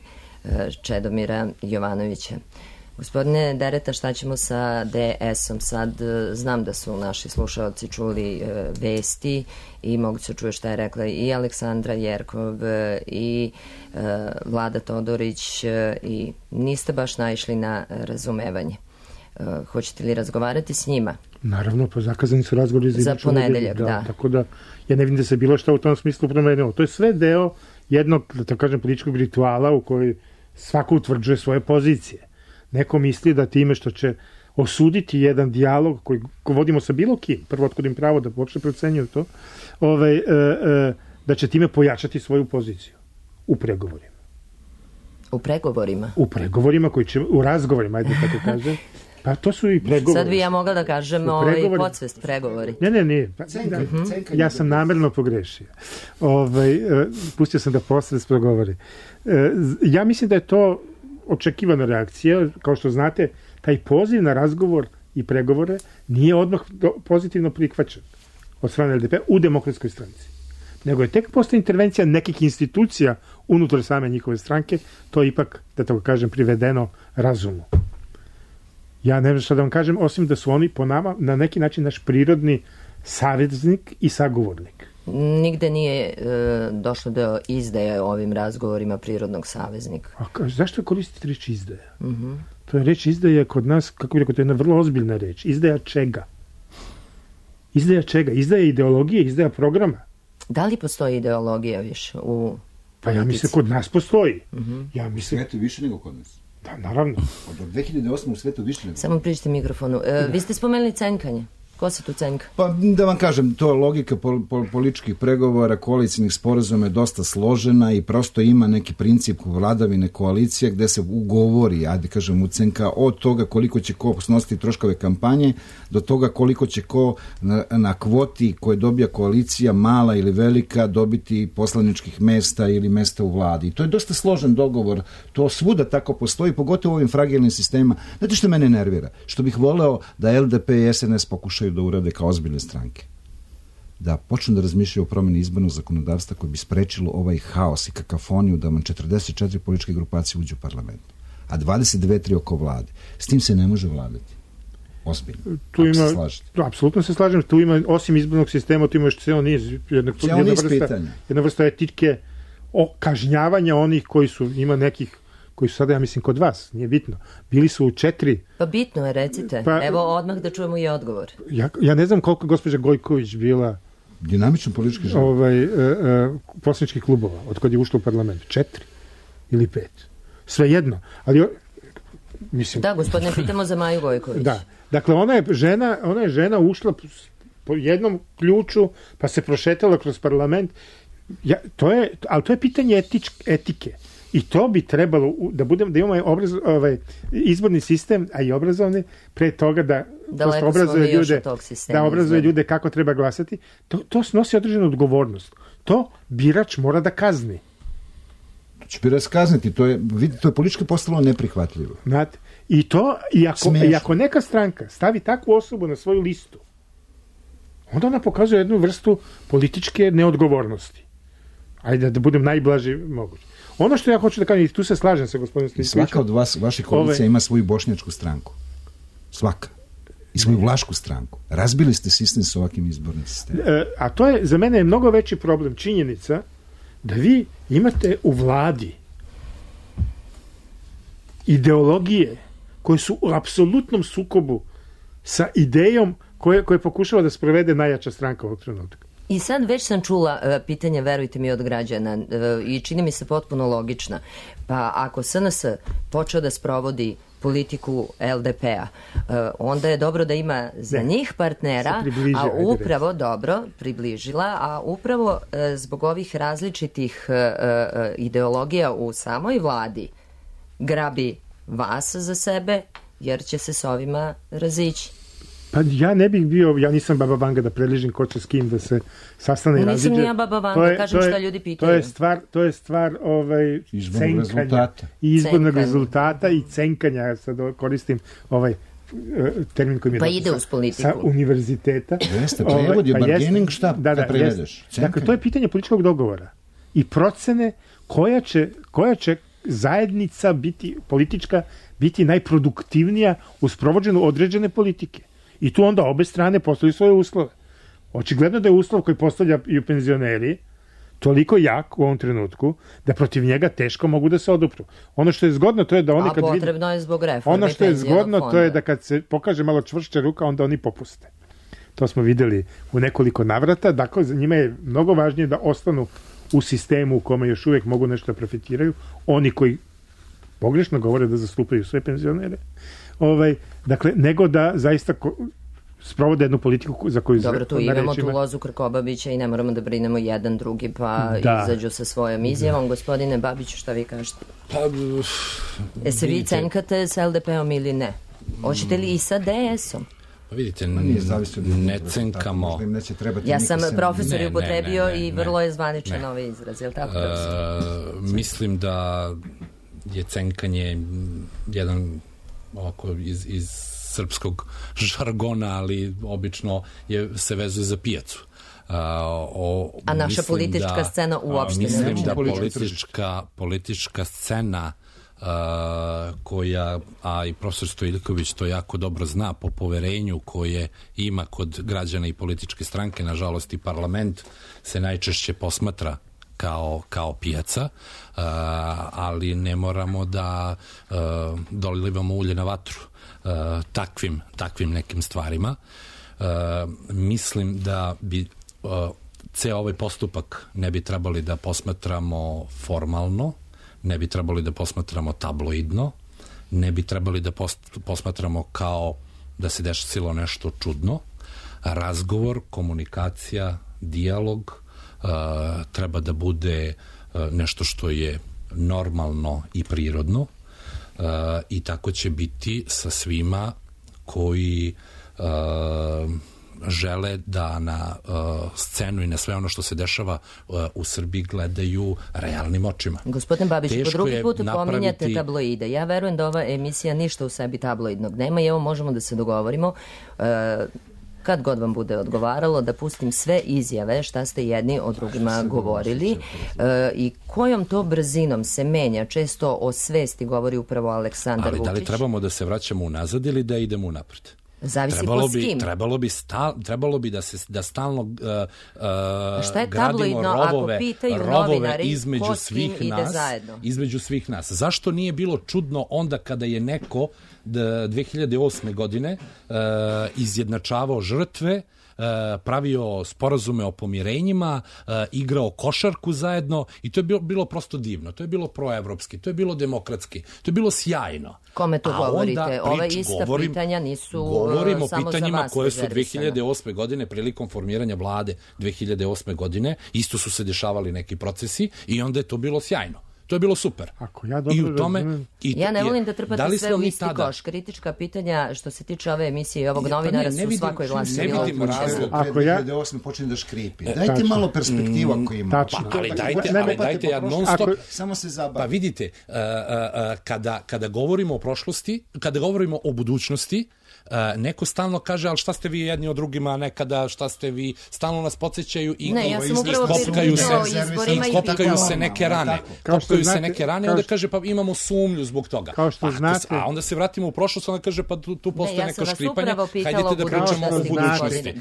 Čedomira Jovanovića. Gospodine Dereta, šta ćemo sa DS-om sad? Znam da su naši slušalci čuli vesti i mogu se čuje šta je rekla i Aleksandra Jerkov i Vlada Todorić i niste baš naišli na razumevanje. Hoćete li razgovarati s njima? Naravno, pa zakazani su razgovori za ponedeljak, da. Tako da ja ne vidim da se bilo šta u tom smislu promenilo. To je sve deo jednog, da kažem, političkog rituala u kojoj svako utvrđuje svoje pozicije. Neko misli da time što će osuditi jedan dijalog koji vodimo sa bilo kim, prvo otkud im pravo da uopšte procenjuju to, da će time pojačati svoju poziciju u pregovorima. U pregovorima? U pregovorima koji će, u razgovorima, ajde tako kažem. Pa to su i pregovori. Sad bi ja mogla da kažem podsvest pregovori. Ne. Pa, ja sam namerno pogrešio. Pustio sam da posvest pregovori. Ja mislim da je to očekivana reakcija. Kao što znate, taj poziv na razgovor i pregovore nije odmah pozitivno prihvaćen od strane LDP u Demokratskoj stranci. Nego je tek posle intervencija nekih institucija unutar same njihove stranke, to je ipak, da tako kažem, privedeno razumu. Ja ne znam šta da vam kažem, osim da su oni po nama na neki način naš prirodni saveznik i sagovornik. Nigde nije došlo do izdaje ovim razgovorima prirodnog saveznika. A zašto koristite reč izdaja? To je reč izdaja kod nas, kako bih rekao, to je jedna vrlo ozbiljna reč. Izdaja čega? Izdaja čega? Izdaja ideologije, izdaja programa. Da li postoji ideologija više u politici? Pa ja mislim kod nas postoji. Ja mislim... Svetu više nego kod nas. Da, naravno. Od 2008. u svetu više nego. Samo pričajte mikrofonu. Vi ste spomenuli cenkanje. Ko se tu cenka? Pa da vam kažem, to logika političkih pregovora, koalicijnih sporazuma je dosta složena i prosto ima neki princip vladavine koalicije gde se ugovori, ajde kažem, ucenka od toga koliko će ko snositi troškove kampanje do toga koliko će ko na kvoti koje dobija koalicija, mala ili velika, dobiti poslaničkih mesta ili mesta u vladi. I to je dosta složen dogovor. To svuda tako postoji, pogotovo u ovim fragilnim sistemima. Znate što mene nervira? Što bih voleo da LDP i SNS pokušaju da urade kao ozbiljne stranke. Da počnu da razmišljaju o promeni izbornog zakonodavstva koje bi sprečilo ovaj haos i kakafoniju da vam 44 političke grupacije uđu u parlament, a 22-3 oko vlade. S tim se ne može vladati. Ozbiljno. Tu ima, apsolutno se slažem, tu ima, osim izbornog sistema, tu ima još ceo niz, jedna vrsta etike kažnjavanja onih koji su, ima nekih koji su sada, ja mislim, kod vas, nije bitno. Bili su u 4... Pa bitno je, recite. Evo odmah da čujemo i odgovor. Ja ne znam koliko gospođa Gojković bila dinamičan politički život. Poslaničkih klubova, od kad je ušla u parlament. 4 ili 5. Svejedno. Ali, mislim... Da, gospodine, pitamo za Maju Gojković. Da. Dakle, ona je žena ušla po jednom ključu, pa se prošetala kroz parlament. Ali to je pitanje etike. I to bi trebalo da imamo izborni sistem, a i obrazovni, pre toga da obrazuje ljude kako treba glasati. To snosi određenu odgovornost. To birač mora da kazni. Će birač kazniti, to je politički postalo neprihvatljivo. Znate, i ako neka stranka stavi takvu osobu na svoju listu, onda ona pokazuje jednu vrstu političke neodgovornosti. Ajde da budem najblaži moguće. Ono što ja hoću da kažem, i tu se slažem sa gospodinom Stojkovićem. Svaka od vaših koalicija ima svoju bošnjačku stranku. Svaka. I svoju vlašku stranku. Razbili ste sistem sa ovakvim izbornim sistemom. A to je, za mene je mnogo veći problem, činjenica da vi imate u vladi ideologije koje su u apsolutnom sukobu sa idejom koje pokušava da sprovede najjača stranka ovog trenutka. I sad već sam čula pitanje, verujte mi, od građana i čini mi se potpuno logična. Pa ako SNS počeo da sprovodi politiku LDP-a, onda je dobro da ima za njih partnera, a upravo, dobro, približila, a upravo zbog ovih različitih ideologija u samoj vladi grabi vas za sebe, jer će se s ovima razići. Pa ja ne bih bio, ja nisam Baba Vanga da predližim ko će s kim da se sastane i raziđe. Nisam ja Baba Vanga, kažem šta ljudi pitaju. To je stvar cenkanja i izbornog rezultata i cenkanja, ja sad koristim termin koji mi je pa ide uz politiku. Sa univerziteta. Jeste, prevod je bargaining, šta prevedeš? Dakle, to je pitanje političkog dogovora i procene koja će zajednica politička biti najproduktivnija u sprovođenju određene politike. I tu onda obe strane postavljaju svoje uslove. Očigledno da je uslov koji postavljaju penzioneri toliko jak u ovom trenutku da protiv njega teško mogu da se odupru. Ono što je zgodno to je da oni kad potrebno je zbog reforme. Ono što je zgodno to je da kad se pokaže malo čvršća ruka, onda oni popuste. To smo videli u nekoliko navrata. Dakle, za njima je mnogo važnije da ostanu u sistemu u kome još uvijek mogu nešto da profitiraju. Oni koji pogrešno govore da zastupaju sve penzionere. Dakle, nego da zaista sprovode jednu politiku za koju... Dobro, tu imamo tu lozu Krkobabića i ne moramo da brinemo jedan drugi, pa izađu sa svojom izjavom. Gospodine Babiću, šta vi kažete? Se vi cenkate s LDP-om ili ne? Hoćete li i sa DS-om? Pa vidite, ne cenkamo... Ja sam profesor upotrebio i vrlo je zvaničan ovaj izraz, je li tako? Mislim da je cenkanje jedan ovako iz srpskog žargona, ali obično se vezuje za pijacu. A naša politička scena uopšte ne mislim da politička scena koja, a i profesor Stojiljković to jako dobro zna, po poverenju koje ima kod građana i političke stranke, nažalost i parlament se najčešće posmatra kao pijaca, ali ne moramo da dolivamo ulje na vatru takvim nekim stvarima. Mislim da bi ceo ovaj postupak ne bi trebali da posmatramo formalno, ne bi trebali da posmatramo tabloidno, ne bi trebali da posmatramo kao da se desilo nešto čudno, razgovor, komunikacija, dijalog treba da bude nešto što je normalno i prirodno i tako će biti sa svima koji žele da na scenu i na sve ono što se dešava u Srbiji gledaju realnim očima. Gospodin Babić, po drugi put pominjate tabloide. Ja verujem da ova emisija ništa u sebi tabloidnog nema i evo možemo da se dogovorimo kad god vam bude odgovaralo, da pustim sve izjave šta ste jedni o drugima govorili i kojom to brzinom se menja. Često o svesti govori upravo Aleksandar Vučić. Ali da li trebamo da se vraćamo unazad ili da idemo unapred? Zavisi po s kim. Trebalo bi da stalno gradimo rovove između svih nas. Zašto nije bilo čudno onda kada je neko 2008. godine izjednačavao žrtve, pravio sporazume o pomirenjima, igrao košarku zajedno i to je bilo prosto divno, to je bilo proevropski, to je bilo demokratski, to je bilo sjajno. Kome to govorite? Ove ista pitanja nisu govorim samo o pitanjima za vas koje su 2008. godine prilikom formiranja vlade 2008. godine, isto su se dešavali neki procesi i onda je to bilo sjajno. To je bilo super. Ako ja dobro razumem. Ja ne volim da trpate sve u isti koš. Kritička pitanja što se tiče ove emisije i ovog novinara su svakoj glasi. Ne vidimo razlog ako 2008. počne da škripi. Dajte malo perspektivu ako ima. Ali dajte ja non stop. Samo se zabavi. Pa vidite, kada govorimo o prošlosti, kada govorimo o budućnosti, neko stalno kaže, ali šta ste vi jedni od drugima nekada, šta ste vi, stalno nas podsjećaju i kopkaju se neke rane. Kopkaju se neke rane, onda kaže, pa imamo sumnju zbog toga. A onda se vratimo u prošlost, onda kaže, pa tu postoje neko škripanje, hajdete da pričamo o budućnosti.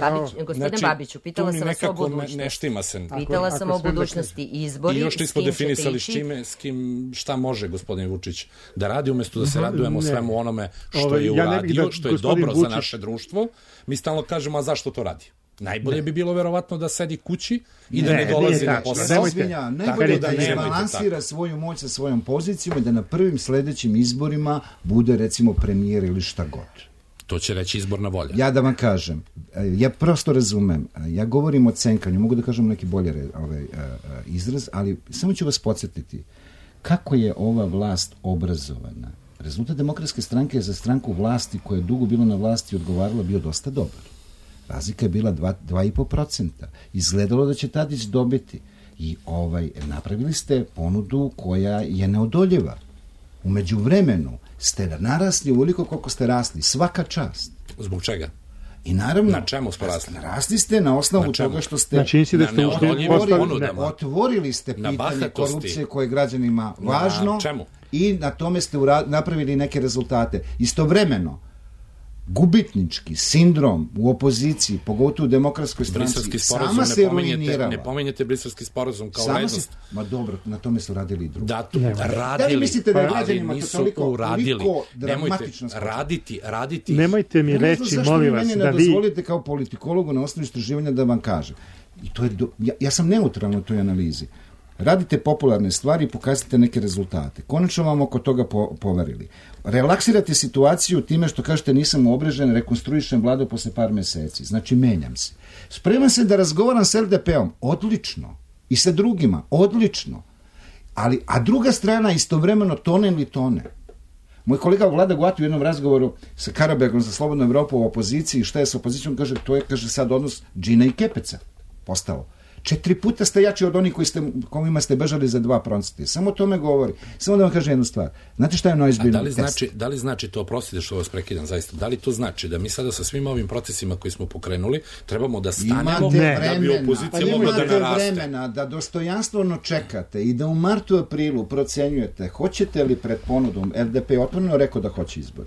Gospodine Babiću, pitala sam vas o budućnosti. Pitala sam o budućnosti i izbori, i još nismo definisali s kim, šta može gospodin Vučić da radi, umjesto da se radujemo svemu onome što je uradio, što je dobro za naše društvo, mi stalno kažemo, a zašto to radi? Najbolje bi bilo verovatno da sedi kući i da ne dolazi na posao. Najbolje da izbalansira svoju moć sa svojom pozicijom i da na prvim sledećim izborima bude recimo premijer ili šta god. To će reći izborna volja. Ja da vam kažem, ja prosto razumem, ja govorim o cenkanju, mogu da kažem neki bolji izraz, ali samo ću vas podsjetiti kako je ova vlast obrazovana. Rezultat Demokratske stranke je za stranku vlasti koja je dugo bila na vlasti odgovarala bio dosta dobar. Razlika je bila 2,5%. Izgledalo da će Tadić dobiti i napravili ste ponudu koja je neodoljiva. U međuvremenu ste narasli uvoliko koliko ste rasli. Svaka čast. Zbog čega? I naravno, na čemu smo rasli? Rasli ste na osnovu toga što ste otvorili ste pitanje korupcije koje je građanima važno i na tome ste napravili neke rezultate. Istovremeno, gubitnički sindrom u opoziciji, pogotovo u Demokratskoj stranci, sama se ruinirala. Ne pominjete Briselski sporazum kao vrednost. Ma dobro, na tome su radili i drugi. Da li mislite da je građanima to toliko dramatično raditi? Nemojte mi reći, molim vas, da vi... Dozvolite kao politikologu na osnovu istraživanja da vam kažem. Ja sam neutralan u toj analizi. Radite popularne stvari i pokazate neke rezultate. Konačno vam oko toga poverili. Relaksirate situaciju time što kažete nisam obrežen, rekonstruišem vladu posle par meseci. Znači, menjam se. Spreman se da razgovaram s LDP-om. Odlično. I sa drugima. Odlično. A druga strana istovremeno tone ili tone. Moj kolega Vlada Guati u jednom razgovoru sa Karabegom za Slobodnu Evropu u opoziciji, šta je sa opozicijom, kaže, to je, sad odnos džina i kepeca postao. 4 puta ste jači od onih kojima ste bežali za 2%. Samo to me govori. Samo da vam kažem jednu stvar. Znate šta je najozbiljniji test? Da li znači to, oprostite što vas prekidam zaista, da li to znači da mi sada sa svim ovim procesima koji smo pokrenuli trebamo da stanemo da bi opozicija mogla da naraste? Imate vremena da dostojanstveno čekate i da u martu, aprilu procenjujete hoćete li pred ponudom. LDP je otvoreno rekao da hoće izbor.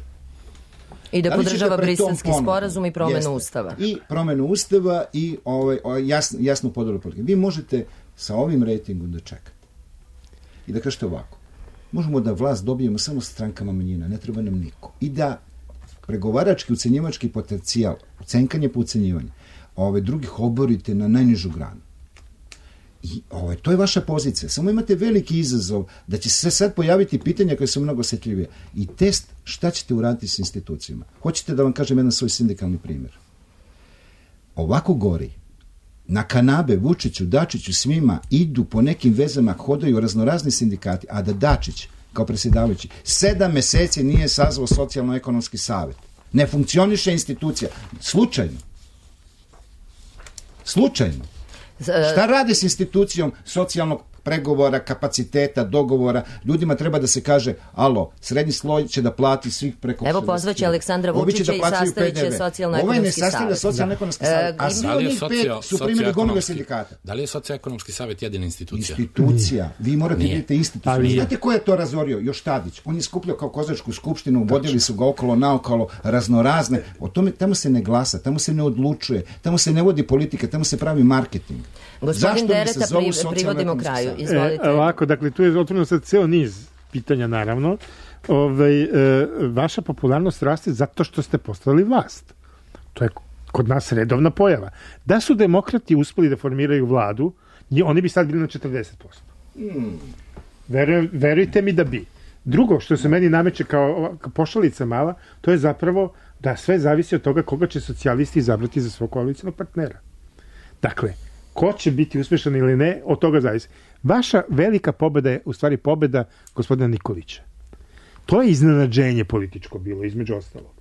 I da podržava Briselski sporazum i promenu Ustava. I promenu Ustava i jasnu podelu politike. Vi možete sa ovim rejtingom da čekate. I da kažete ovako. Možemo da vlast dobijemo samo sa strankama manjina, ne treba nam niko. I da pregovarački, ucenjivački potencijal, ucenkanje po ucenjivanju, drugih oborite na najnižu granu. I to je vaša pozicija. Samo imate veliki izazov da će se sad pojaviti pitanja koje su mnogo osjetljivije. I test šta ćete uraditi s institucijama. Hoćete da vam kažem jedan svoj sindikalni primjer. ovako gori. Na kanabe Vučiću, Dačiću, svima idu po nekim vezama, hodaju raznorazni sindikati, a da Dačić, kao predsjedavajući, 7 meseci nije sazvao socijalno-ekonomski savjet. Ne funkcioniše institucija. Slučajno. Šta radi s institucijom socijalnog pregovora, kapaciteta, dogovora? Ljudima treba da se kaže, alo, srednji sloj će da plati svih preko... Evo, pozvaće Aleksandra Vučića i sastavit će socijalno-ekonomski savjet. Ovaj ne sastavlja socijalno-ekonomski savjet, a svi onih 5 su primjeri gomile sindikata. Da li je socijalno-ekonomski savjet jedina institucija? Institucija. Vi morate vidjeti instituciju. Znate ko je to razorio? Još Tadić. On je skupljao kao kozačku skupštinu, vodili su ga okolo, naokolo, raznorazne. O tome, tamo se ne glasa, tamo se ne odlučuje, tamo se ne vodi politika, tamo se pravi marketing. Gospodin Dereta, privodimo kraju. Izvolite. Ovako, dakle, tu je otvoreno sad ceo niz pitanja, naravno. Vaša popularnost raste zato što ste postali vlast. To je kod nas redovna pojava. Da su demokrati uspeli da formiraju vladu, oni bi sad bili na 40%. Verujte mi da bi. Drugo, što se meni nameće kao pošalica mala, to je zapravo da sve zavisi od toga koga će socijalisti izabrati za svog koalicijnog partnera. Dakle, ko će biti uspešan ili ne, od toga zavisi. Vaša velika pobeda je u stvari pobeda gospodina Nikolića. To je iznenađenje političko bilo, između ostalog.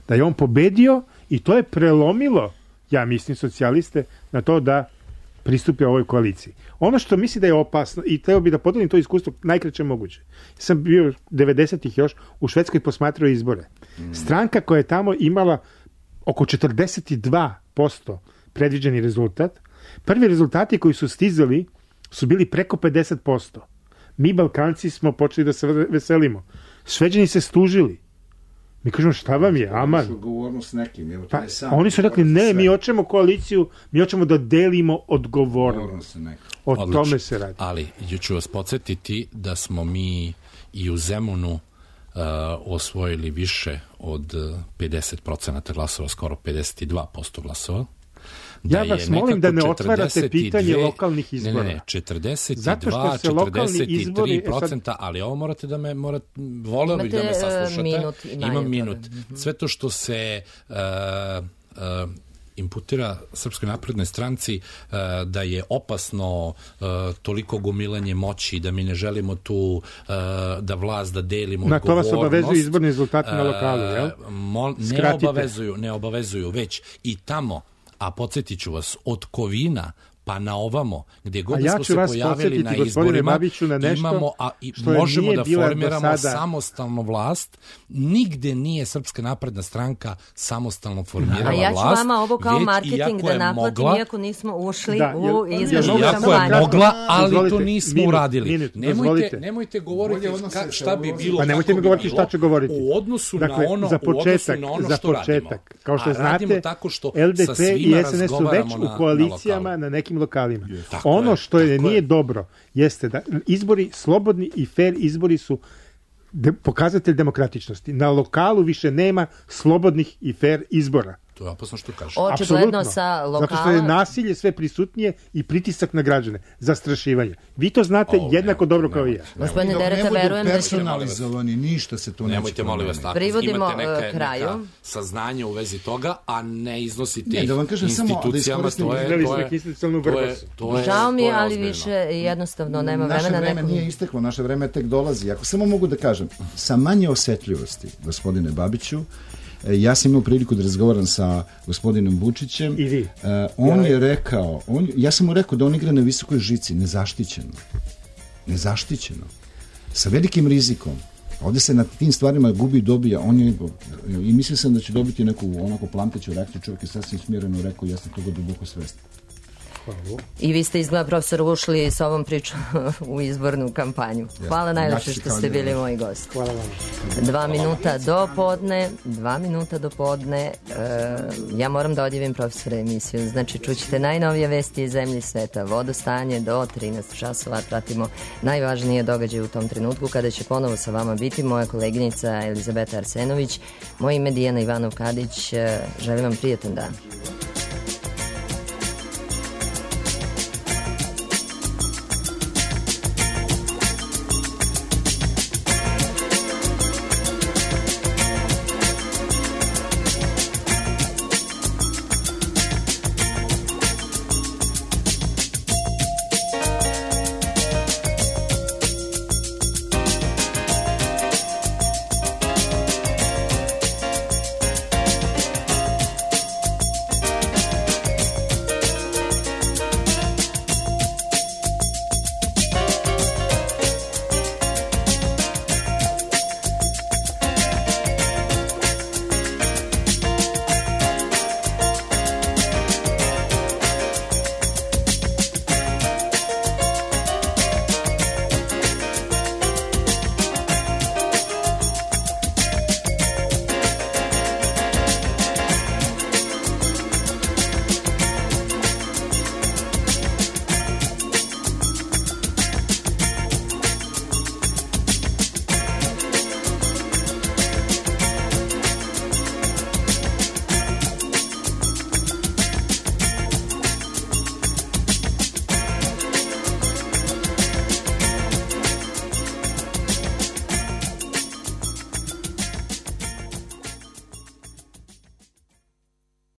Da je on pobedio i to je prelomilo, ja mislim, socijaliste na to da pristupe ovoj koaliciji. Ono što misli da je opasno, i trebao bi da podelim to iskustvo najkraće moguće. Sam bio 90-ih još u Švedskoj posmatrao izbore. Stranka koja je tamo imala oko 42% predviđeni rezultat, prvi rezultati koji su stizali su bili preko 50%. Mi Balkanci smo počeli da se veselimo. Šveđani se stužili. Mi kažemo, šta vam je, aman. Oni su rekli, ne, mi hoćemo koaliciju, mi hoćemo da delimo odgovornost. O tome se radi. Ali ću vas podsjetiti da smo mi i u Zemunu osvojili više od 50% glasova, skoro 52% glasova. Ja vas molim da ne otvarate pitanje lokalnih izbora. Ne, 43%, ali ovo morate da me, voleo bih da me saslušate. Imam minut. Sve to što se imputira Srpskoj naprednoj stranci da je opasno toliko gomilanje moći, da mi ne želimo tu da vlast, da delimo odgovornost. Na to vas obavezuju izborni rezultati na lokalu, jel? Ne obavezuju, već i tamo, a podsjetit ću vas, od Kovina pa na ovamo, gdje god smo se pojavili na izborima, imamo, možemo da formiramo samostalnu vlast. Nigde nije Srpska napredna stranka samostalno formirala vlast. A ja ću vama ovo kao marketing da naplatim, iako nismo ušli u izbornu kampanju. Iako je mogla, ali to nismo uradili. Nemojte govoriti šta bi bilo, pa nemojte mi govoriti šta ću govoriti. U odnosu na ono što radimo. Kao što znate, LDP i SNS su već u koalicijama na nekim lokalima. Ono što nije dobro jeste da izbori, slobodni i fair izbori su pokazatelj demokratičnosti. Na lokalu više nema slobodnih i fair izbora. To je opasno što kažeš. Očigledno sa lokala... Zato što je nasilje sve prisutnije i pritisak na građane, zastrašivanje. Vi to znate jednako dobro kao i ja. Gospodine Dereta, verujem da će... personalizovani, ništa se tu neće. Nemojte, molim vas, tako. Privodimo kraju. Neka saznanje u vezi toga, a ne iznosite institucijama, to je... Žao mi je, ali više jednostavno nema vremena. Naše vreme nije isteklo, naše vreme tek dolazi. Ako samo mogu da kažem, sa manje osetljivosti, gospodine Babiću, ja sam imao priliku da razgovaram sa gospodinom Vučićem. I vi? On je rekao, ja sam mu rekao da on igra na visokoj žici, nezaštićeno. Sa velikim rizikom. Ovdje se na tim stvarima gubi i dobija. I mislio sam da će dobiti neku onako plamteću reakciju. Čovjek je sasvim smjereno rekao, ja sam toga duboko svestan. I vi ste izgleda, profesor, ušli s ovom pričom u izbornu kampanju. Hvala najlepše što ste bili moji gosti. Hvala vam. 2 minuta do podne. Ja moram da odjavim profesora emisiju. Znači, čućete najnovije vesti iz zemlje i sveta. Vodostanje do 13 časova. Pratimo najvažnije događaje u tom trenutku kada će ponovo sa vama biti moja koleginica Elizabeta Arsenović. Moje ime je Dijana Ivanov-Kadić. Želim vam prijatan dan.